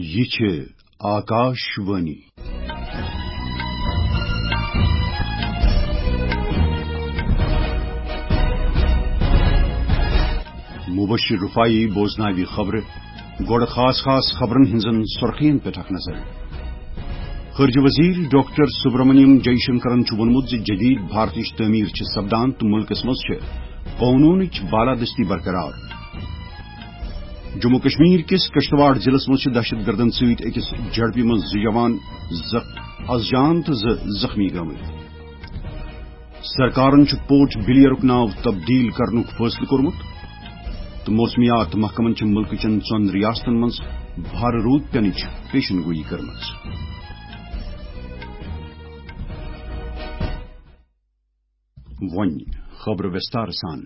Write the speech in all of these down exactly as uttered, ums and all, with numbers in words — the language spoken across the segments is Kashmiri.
یہِ چھِ آکاش وانی۔ مبشر رفاعی بوزناوِ خبرٕ۔ گۄڈٕ خاص خاص خبرن ہٕنٛزن سرخین پٮ۪ٹھ اکھ نظر۔ خارجہ وزیر ڈاکٹر سبرامنیم جے شنکرن چھُ ووٚنمُت زِ جدید بھارتٕچ تعمیر چھِ سپدان تہٕ مُلکس منٛز چھِ قونوٗنٕچ بالادستی برقرار۔ جموں کشمیر کِس کشتواڑ ضلعس منٛز چھِ دہشت گردن سۭتۍ أکِس جھڑپہِ منٛز زٕ جوان زخ-، از جان تہٕ زٕ زخمی گٔمٕتۍ۔ سرکارن چھُ پورٹ بلیئرُک ناو تبدیل کرنُک فٲصلہٕ کوٚرمُت تہٕ موسمیات محکمن چھِ مُلکہٕ چٮ۪ن ژۄن ریاستن منٛز بھارٕ روٗد پینٕچ پیشن گویی کٔرمٕژ۔ وۄنۍ خبرٕ وِستار سان۔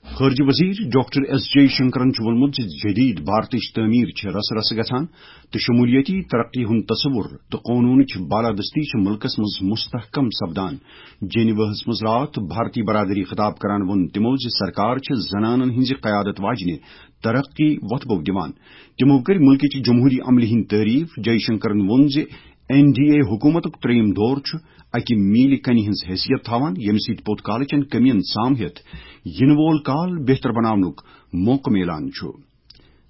خارجہ وزیر ڈاکٹر ایس جے شنکرن چھُ ووٚنمُت زِ جدید بھارتٕچ تعمیر چھِ رس رس گژھان تہٕ شمولیتی ترقی ہُنٛد تصور تہٕ قونوٗنٕچ بالادستی چھِ مُلکس منٛز مستحکم سپدان۔ جنیواہس منٛز راتھ بھارتی برادری خطاب کران ووٚن تِمو زِ سرکار چھِ زنانن ہٕنٛزِ قیادت واجنہِ ترقی وۄتھٕ بوٚو دِوان۔ تِمو کٔرۍ مُلکٕچ جمہوری عملہِ ہٕنٛدۍ تعریف۔ جے شنکرن ووٚن زِ این ڈی اے حکوٗمتُک ترٛیٚیِم دور چھُ اکہِ میٖلہِ کنہِ ہٕنٛز حیثیت تھاوان، ییٚمہِ سۭتۍ پوٚت کالہٕ چٮ۪ن کٔمین سام ہٮ۪تھ یِنہٕ وول کال بہتر بناونُک موقعہٕ میلان چھُ۔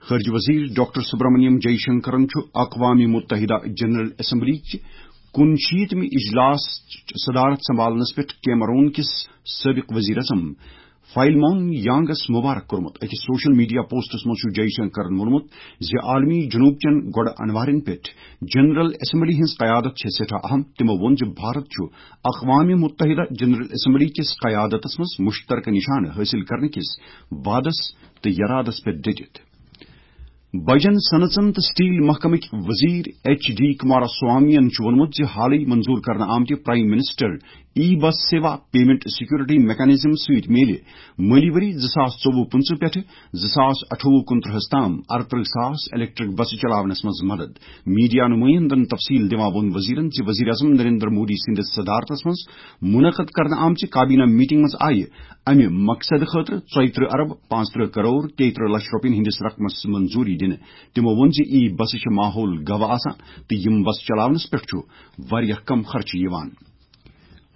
خارجہ وزیر ڈاکٹر سبرامنیم جے شنکرن چھُ اقوام متحدہ جنرل اسمبلی چہِ کُنشیٖتمہِ اجلاس صدارت سنبھالنس پٮ۪ٹھ کیمرون کِس سٲبق وزیر اعظم فائلمون یانگس مبارک کوٚرمُت۔ أکِس سوشل میڈیا پوسٹس منٛز چھُ جے شنکرن ووٚنمُت زِ عالمی جنوب چٮ۪ن گۄڈٕ انوارن پٮ۪ٹھ جنرل اسمبلی ہٕنٛز قیادت چھےٚ سٮ۪ٹھاہ اہم۔ تِمو ووٚن زِ بھارت چھُ اقوام متحدہ جنرل اسمبلی کِس قیادتس منٛز مشترکہ نشانہٕ حٲصِل کرنہٕ کِس وعدس تہٕ یرادس پٮ۪ٹھ ڈٔٹِتھ۔ بجن صنعژن تہٕ سٹیل محکمٕکۍ وزیر ایچ ڈی کمارا سوامین چھُ ووٚنمُت زِ حالٕے منظور کرنہٕ آمتہِ پرائم منسٹر ای بس سیوا پیمنٹ سیکورٹی میکانزم سۭتۍ میلہِ مٲلی ؤری زٕ ساس ژوٚوُہ پٕنٛژٕہ پٮ۪ٹھٕ زٕ ساس اَٹھووُہ کُنترٕہس تام اَرترٕہ ساس الیکٹرک بسہٕ چلاونس منٛز مدد۔ میڈیا نمائندن تفصیل دِوان ووٚن وزیرن زِ وزیر اعظم نریندر مودی سٕنٛدِس صدارتس منٛز منعقد کرنہٕ آمژِ کابینہ میٹنگ منٛز آیہِ امہِ مقصد خٲطرٕ ژۄیہِ ترٕہ ارب پانٛژھ ترٕہ کرور تیٚیہِ ترٕہ لچھ رۄپین ہٕنٛدِس رقمس منظوری دِنہٕ۔ تِمو ووٚن زِ ای بسہٕ چھِ ماحول گواہ آسان تہٕ یِم بسہٕ چلاونس پٮ۪ٹھ چھُ واریاہ کم خرچہٕ یِوان۔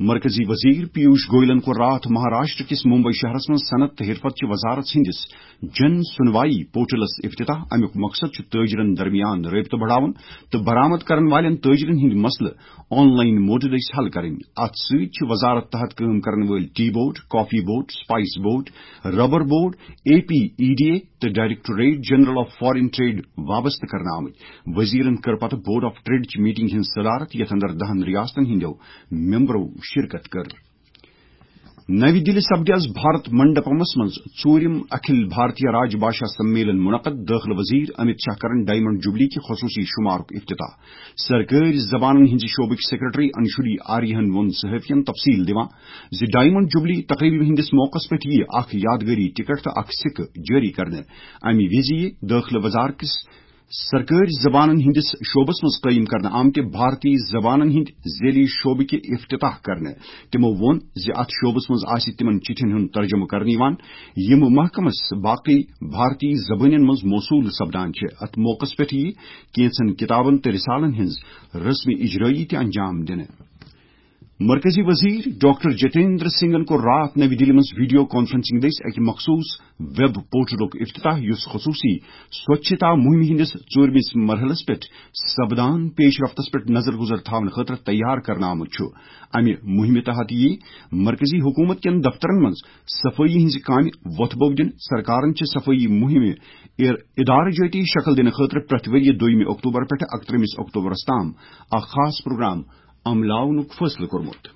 مرکزی وزیر پیوش گوئلن کوٚر راتھ مہاراشٹر کِس ممبئی شہرس منٛز صنعت تہٕ حرفت چہِ وزارت ہٕنٛدِس جن سنوائی پورٹلس افتتاح۔ امیُک مقصد چھُ تاجرن درمیان رٲبطہٕ بڑاوُن تہٕ برآمد کرن والٮ۪ن تاجرن ہٕنٛدۍ مسلہٕ آن لائن موڈ دٔسۍ حل کرٕنۍ۔ اتھ سۭتۍ چھِ وزارت تحت کٲم کرن وٲلۍ tea board, coffee board, spice board, rubber board, A P E D A تہٕ directorate general of foreign trade وابستہٕ کرنہٕ آمٕتۍ۔ وزیرن کٔر پتہٕ بورڈ آف ٹریڈ چہِ میٹنگ ہٕنٛز صدارت، یتھ اندر دہن ریاستن ہٕنٛدیو ممبرو شرکت کٔر۔ نَوِ دِلہِ سپدِ از بھارت منڈپمس منٛز ژوٗرِم اکھل بھارتیہ راج بھاشا سمیلن منعقد۔ دٲخلہٕ وزیر امت شاہ کرن ڈائمنڈ جوبلی کہِ خصوصی شمارُک افتتاح۔ سرکٲرۍ زبانن ہٕنٛزِ شعبٕکۍ سیکرٹری انشولی آریہن ووٚن صحافین تفصیل دِوان زِ ڈائمنڈ جوبلی تقریبہِ ہٕنٛدِس موقعس پٮ۪ٹھ یِیہِ اکھ یادگٲری ٹکٹ تہٕ اکھ سکہٕ جٲری کرنہٕ۔ امہِ وِزِ یِیہِ دٲخلہٕ وزارت کِس سرکٲرۍ زبانن ہٕنٛدِس شعبس منٛز قٲیِم کرنہٕ آمتہِ بھارتی زبانن ہٕنٛدِ ذیلی شعبہٕ کہِ افتتاح کرنہٕ۔ تِمو ووٚن زِ اتھ شعبس منٛز آسہِ تِمن چِٹھٮ۪ن ہُنٛد ترجمہٕ کرنہٕ یِوان، یِم محکمس باقٕے بھارتی زبانن منٛز موصول سپدان چھِ۔ اتھ موقعس پٮ۪ٹھ یِیہِ کینٛژن کتابن تہٕ رسالن ہٕنٛز رسمی اجرٲیی تہِ انجام دِنہٕ۔ مرکزی وزیر ڈاکٹر جتیندر سنگھن کوٚر راتھ نَوِ دِلہِ منٛز ویڈیو کانفرنسنگ دٔسۍ اکہِ مخصوص ویب پورٹلُک افتتاح، یُس خصوصی سوچھتا مہمہِ ہٕنٛدِس ژوٗرمِس مرحلس پٮ۪ٹھ سپدان پیش رفتس پٮ۪ٹھ نظر گزر تھاونہٕ خٲطرٕ تیار کرنہٕ آمُت چھُ۔ امہِ مہمہِ تحت یِیہِ مرکزی حکومت کٮ۪ن دفترن منٛز صفٲیی ہٕنٛزِ کامہِ وۄتھٕ بوٚو دِنہٕ۔ سرکارن چھِ صفٲیی مہمہِ اِر-، ادارٕ جٲتی شکل دِنہٕ خٲطرٕ پرٛٮ۪تھ ؤرۍ یہِ دوٚیمہِ اکتوبر پٮ۪ٹھ اکترٛہمِس اکتوبرس تام اکھ خاص پروگرام عملاونُک فٲصلہٕ کوٚرمُت۔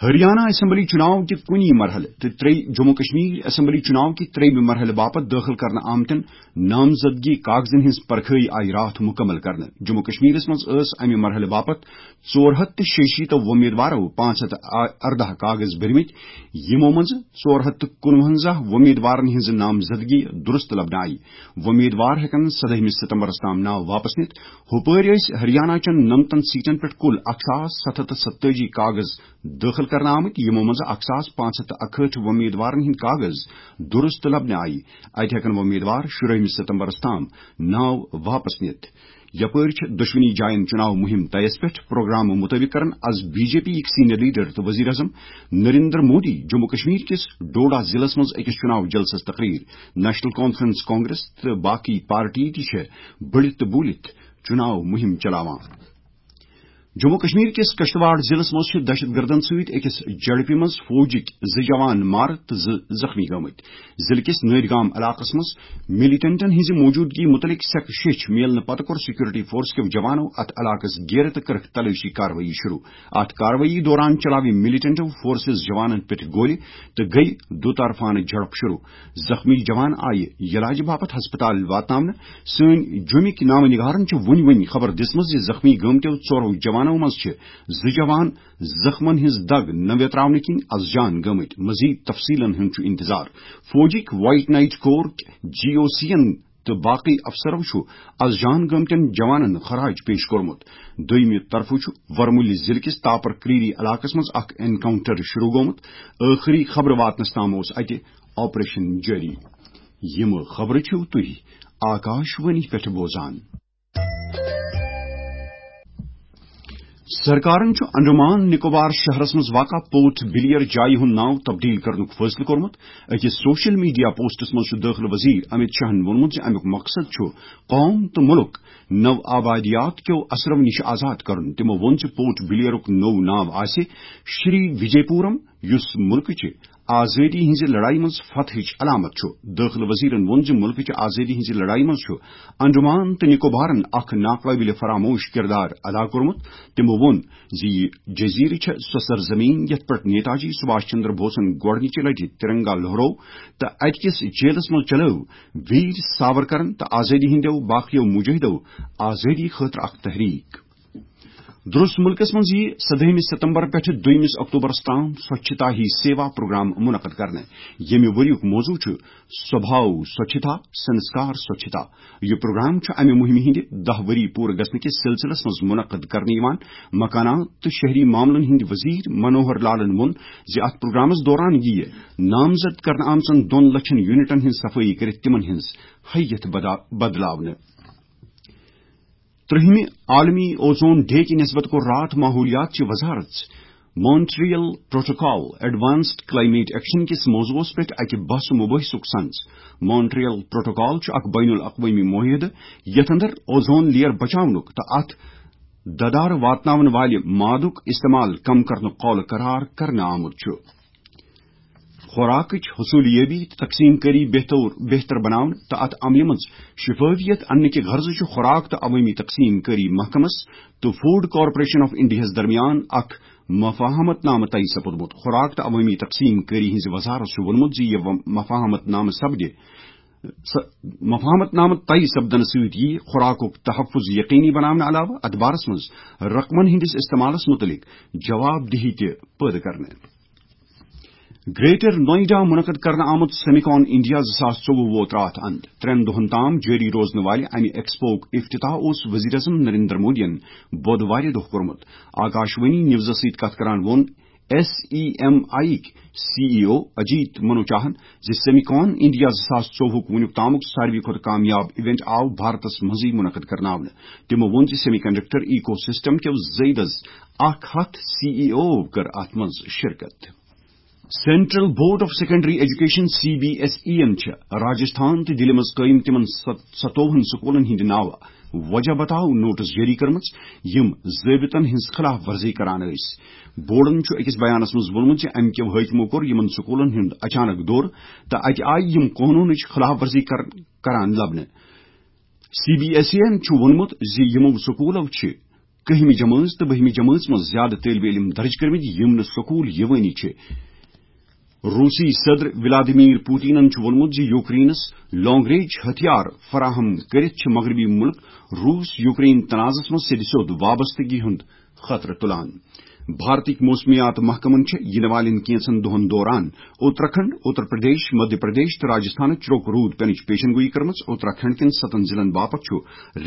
ہریانہ اسمبلی چُناو کہِ کُنی مرحلہٕ تہٕ ترٛیٚیہِ جموں کشمیر اسمبلی چُناو کہِ ترٛیٚیِمہِ مرحلہٕ باپتھ دٲخل کرنہٕ آمتٮ۪ن نامزدگی کاغذن ہٕنٛز پرکھٲیی آیہِ راتھ مُکمل کرنہٕ۔ جموں کشمیرس منٛز ٲس امہِ مرحلہٕ باپتھ ژور ہتھ تہٕ شیٚیہِ شیٖتو وۄمیدوارو پانٛژھ ہتھ تہٕ ارداہ کاغذ بٔرمٕتۍ، یِمو منٛز ژور ہتھ تہٕ کُنوَنزاہ وۄمیدوارن ہٕنٛز نامزدگی درست لبنہٕ آیہِ۔ وۄمیدوار ہٮ۪کن سدٲہمہِ ستمبرس تام ناو واپس نِتھ۔ ہُپٲرۍ ٲسۍ ہریانہ چٮ۪ن نَمتَن سیٹن پٮ۪ٹھ کُل اکھ ساس ستھ ہتھ تہٕ ستتٲجی کاغذ دٲخل کرنہٕ آمٕتۍ، یِمو منٛز اکھ ساس پانٛژھ ہتھ تہٕ اکہٲٹھ وۄمیدوارن ہٕنٛدۍ کاغذ درست لبنہٕ آیہِ۔ اتہِ ہٮ۪کن وۄمیدوار شُرٲہمہِ ستمبرس تام ناو واپس نِتھ۔ یپٲرۍ چھِ دۄشوٕنی جاین چُناو مُہِم طیس پٮ۪ٹھ پروگرام مُطٲبِق کران از بی جے پی یِکۍ سینئر لیڈر تہٕ وزیر اعظم نریندر مودی جموں کشمیر کِس ڈوڈا ضلعس منٛز أکِس چُناو جلسس تقریر۔ نیشنل کانفرنس کانگریس تہٕ باقی پارٹی تہِ چھِ بٔڑِتھ تہٕ بوٗلِتھ چُناو مُہِم چلاوان۔ جموں کشمیر کِس کشتواڑ ضلعس منٛز چھِ دہشت گردن سۭتۍ أکِس جھڑپہِ منٛز فوجٕکۍ زٕ جوان مارٕ تہٕ زٕ زخمی گٔمٕتۍ۔ ضلعہٕ کِس نٲدۍ گام علاقس منٛز ملیٹنٹن ہٕنٛزِ موجودگی مُتعلق سیٚکہٕ شیٚچھ میلنہٕ پتہٕ کوٚر سیکورٹی فورس کیو جوانو اتھ علاقس گیرٕ تہٕ کٔرٕکھ تلٲشی کاروٲیی شروع۔ اتھ کاروٲیی دوران چلاوِ ملیٹنٹو فورسز جوانن پٮ۪ٹھ گولہِ تہٕ گٔیہِ دُطرفانہٕ جھڑپ شروع۔ زخمی جوان آیہِ علاج باپتھ ہسپتال واتناونہٕ۔ سٲنۍ جوٚمِکۍ نامہٕ نگارن چھِ وُنہِ وُنہِ خبر دِژمٕژ زِ زخمی گٲمتیو ژورو جوانو منٛز چھِ زٕ جوان زخمن ہٕنٛز دگ نہ ویتراونہٕ کِنۍ از جان گٔمٕتۍ۔ مزید تفصیلن ہُنٛد چھُ انتظار۔ فوجٕکۍ وائٹ نائٹ کور، جی او سی ین تہٕ باقی افسرو چھُ از جان گٲمتٮ۪ن جوانن خراج پیش کوٚرمُت۔ دوٚیمہِ طرفہٕ چھُ ورمُلہِ ضلعہٕ کِس تاپر کریری علاقس منٛز اکھ انکاؤنٹر شروع گوٚمُت۔ ٲخری خبرٕ واتنس تام اوس اتہِ آپریشن جٲری۔ یِم خبرٕ چھِو تُہۍ آکاش وانی پٮ۪ٹھ بوزان۔ سرکارن چھُ انڈمان نکوبار شہرس منٛز واقع پورٹ بلیر جایہِ ہُنٛد ناو تبدیل کرنُک فٲصلہٕ کوٚرمُت۔ أکِس سوشل میڈیا پوسٹس منٛز چھُ دٲخلہٕ وزیر امت شاہن ووٚنمُت زِ امیُک مقصد چھُ قوم تہٕ مُلک نو آبادیات کیو اثرو نِش آزاد کرُن۔ تِمو ووٚن زِ پورٹ بلیرُک نوٚو ناو آسہِ شری وجے پورم، یُس مُلکٕچہِ آزٲدی ہٕنٛزِ لڑایہِ منٛز فتحٕچ علامت چھُ۔ دٲخلہٕ وزیرن ووٚن زِ مُلکٕچہِ آزٲدی ہٕنٛزِ لڑایہِ منٛز چھُ انڈمان تہٕ نکوبارن اکھ ناقابل فراموش کردار ادا کوٚرمُت۔ تِمو ووٚن زِ یہِ جزیرٕ چھےٚ سۄ سرزمین یتھ پٮ۪ٹھ نیتاجی سبھاش چندر بوسن گۄڈٕنِچہِ لٹہِ ترنگا لہرو تہٕ اتہِ کِس جیلس منٛز چلٲو ویر ساورکرن تہٕ آزٲدی ہٕنٛدیو باقیو مجاہدو آزٲدی خٲطرٕ اکھ تحریک۔ درست مُلکس منٛز یِیہِ سدٲہمہِ ستمبر پٮ۪ٹھٕ دوٚیمِس اکتوبرس تام سوچھتا ہی سیوا پروگرام منعقد کرنہٕ، ییٚمہِ ؤریُک موضوع چھُ سوبھاو سوچھتا، سنسکار سوچھتا۔ یہِ پروگرام چھُ امہِ مُہِمہِ ہٕنٛدِ دَہ ؤری پوٗرٕ گژھنہٕ کِس سلسلس منٛز منعقد کرنہٕ یِوان۔ مکانات تہٕ شہری معاملن ہٕنٛدۍ وزیر منوہر لالن ووٚن زِ اتھ پروگرامس دوران یِیہِ نامزد کرنہٕ آمژن دۄن لچھن یونٹن ہٕنٛز صفٲیی کٔرِتھ تِمن ہٕنٛز حیت بدا-، بدلاونہٕ۔ ترٛہمہِ عالمی اوزون ڈے کہِ نسبت کوٚر راتھ ماحولیات چہِ وزارت Montreal protocol advanced climate action کِس موضوعس پٮ۪ٹھ اکہِ بحث و مباحثُک سنز۔ مونٹریل پروٹوکال چھُ اکھ بین الاقوٲمی معاہدٕ یتھ اندر اوزون لیئر بچاونُک تہٕ اتھ ددار واتناون والہِ مادُک استعمال کم کرنُک قول قرار کرنہٕ آمُت چھُ۔ خوراکٕچ حصولیٲبی تہٕ تقسیم کٲری بہتر، بہتر بناونہٕ تہٕ اتھ عملہِ منٛز شفافیت اننہٕ کہِ غرضہٕ چھُ خوراک تہٕ عوٲمی تقسیم کٲری محکمس تہٕ فوڈ کارپوریشن آف انڈیاہس درمیان اکھ مفاہمت نامہٕ طے سپُدمُت۔ خوراک تہٕ عوٲمی تقسیم کٲری ہٕنٛزِ وزارت چھُ ووٚنمُت زِ یہِ و-، مفاہمت نامہٕ سپدِ، س-، مفاہمت نامہٕ طے سپدنہٕ سۭتۍ یِیہِ خوراکُک تحفظ یقینی بناونہٕ علاوٕ اتھ بارس منٛز رقمن ہٕنٛدِس استعمالس مُتعلق جواب دہی تہِ پٲدٕ کرنہٕ۔ گریٹر نوئیڈا منعقد کرنہٕ آمُت سیمیکان انڈیا زٕ ساس ژوٚوُہ ووت راتھ اند۔ ترٛٮ۪ن دۄہن تام جٲری روزنہٕ والہِ امہِ ایکسپوک افتتاح اوس وزیر اعظم نریندر مودیَن بۄدوارِ دۄہ کوٚرمُت۔ آکاشوانی نیوزس سۭتۍ کتھ کران ووٚن ایس ای ایم آئی یِکۍ سی ای او اجیت منوچاہن زِ سیمیکان انڈیا زٕ ساس ژوٚوُہُک وُنیُک تامُک ساروی کھۄتہٕ کامیاب ایونٹ آو بھارتس منٛزٕے منعقد کرناونہٕ۔ تِمو ووٚن زِ سیمی کنڈکٹر ایکو سسٹم کیو زیدس اکھ ہتھ سی ای او کٔر اتھ منٛز شرکت۔ Central board of secondary education, C B S E یَن چھِ راجستھان تہٕ دِلہِ منٛز قٲیِم تِمَن ست-، ستووُہَن سکوٗلَن ہٕنٛدِ ناوٕ وجہ بتاو نوٹس جٲری کٔرمٕژ، یِم ضٲبطن ہٕنٛز خلاف ورزی کران ٲسۍ۔ بورڈَن چھُ أکِس بیانَس منٛز ووٚنمُت زِ اَمہِ کیو حٲکمو کوٚر یِمَن سکوٗلَن ہُنٛد اچانک دورٕ تہٕ اَتہِ آیہِ یِم قونوٗنٕچ خلاف ورزی کر-، کران لبنہٕ۔ سی بی ایس ای یَن چھُ ووٚنمُت زِ یِمو سکوٗلو چھِ کٔہمہِ جمٲژ تہٕ بٔہمہِ جمٲژ منٛز زیادٕ طٲلبہِ علم درج کٔرمٕتۍ، یِم نہٕ سکوٗل یِوٲنی چھِ۔ روسی صدر ولادیمیر پوتینن چھُ ووٚنمُت زِ یوکرینس لانگ رینج ہتھیار فراہم کٔرِتھ چھِ مغربی مُلک روس یوکرین تنازعس منٛز سیٚدِ سیوٚد وابستگی ہُنٛد خطرٕ تُلان۔ بھارتٕکۍ موسمیات محکمن چھِ یِنہٕ والٮ۪ن کینٛژن دۄہن دوران اتراکھنڈ، اتر پردیش، مدھیہ پردیش تہٕ راجستھانٕچ چُرک روٗد پینٕچ پیشن گویی کٔرمٕژ۔ اتراکھنڈ کٮ۪ن ستن ضلعن باپتھ چھُ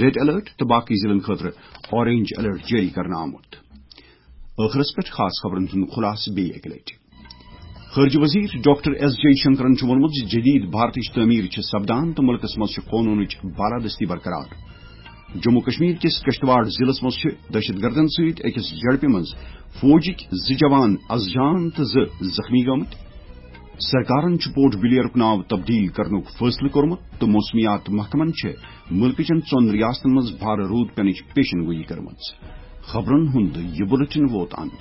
ریڈ الرٹ تہٕ باقی ضلعن خٲطرٕ اورنج الرٹ جٲری کرنہٕ آمُت۔ ٲخرس پٮ۪ٹھ خاص خبرن ہُنٛد خلاصہٕ بیٚیہِ اکہِ لٹہِ۔ خارجہ وزیر ڈاکٹر ایس جے شنکرن چھُ ووٚنمُت زِ جدید بھارتٕچ تعمیٖر چھِ سپدان تہٕ مُلکس منٛز چھِ قونوٗنٕچ بالادستی برقرار۔ جموں کشمیر کِس کشتواڑ ضلعس منٛز چھِ دہشت گردن سۭتۍ أکِس جھڑپہِ منٛز فوجٕکۍ زٕ جوان از جان تہٕ زٕ زخمی گٔمٕتۍ۔ سرکارن چھُ پورٹ بلیئرُک ناو تبدیل کرنُک فٲصلہٕ کوٚرمُت تہٕ موسمیات محکمن چھِ مُلکٕچن ژۄن ریاستن منٛز بھارٕ روٗد پینٕچ پیشن گویی کٔرمٕژ۔ خبرن ہُنٛد یہِ بُلٹن ووت اند۔